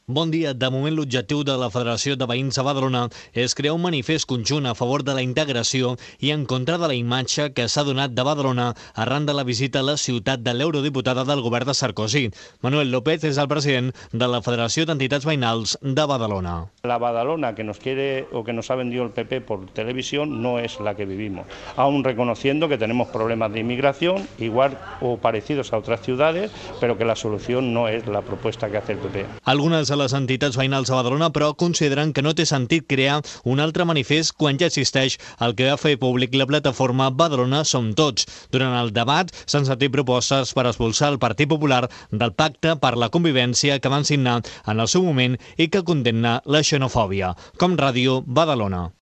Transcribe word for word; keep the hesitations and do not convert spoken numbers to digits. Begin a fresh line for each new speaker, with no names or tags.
Bon dia. De moment, l'objectiu de la Federació de Veïns de Badalona és crear un manifest conjunt a favor de la integració i en contra de la imatge que s'ha donat de Badalona arran de la visita a la ciutat de l'eurodiputada del govern de Sarkozy. Manuel López és el president de la Federació d'Entitats Veïnals de Badalona.
La Badalona que nos quiere o que nos ha vendido el P P por televisión no es la que vivimos, aún reconociendo que tenemos problemas de inmigración, igual o parecidos a otras ciudades, pero que la solución no es la propuesta que hace el P P.
Algunes de les entitats veïnals de Badalona, però, consideren que no té sentit crear un altre manifest quan ja existeix el que va fer públic la plataforma Badalona Som Tots. Durant el debat s'han sentit propostes per expulsar el Partit Popular del Pacte per la Convivència que van signar en el seu moment i que condemna la xenofòbia. Com Ràdio, Badalona.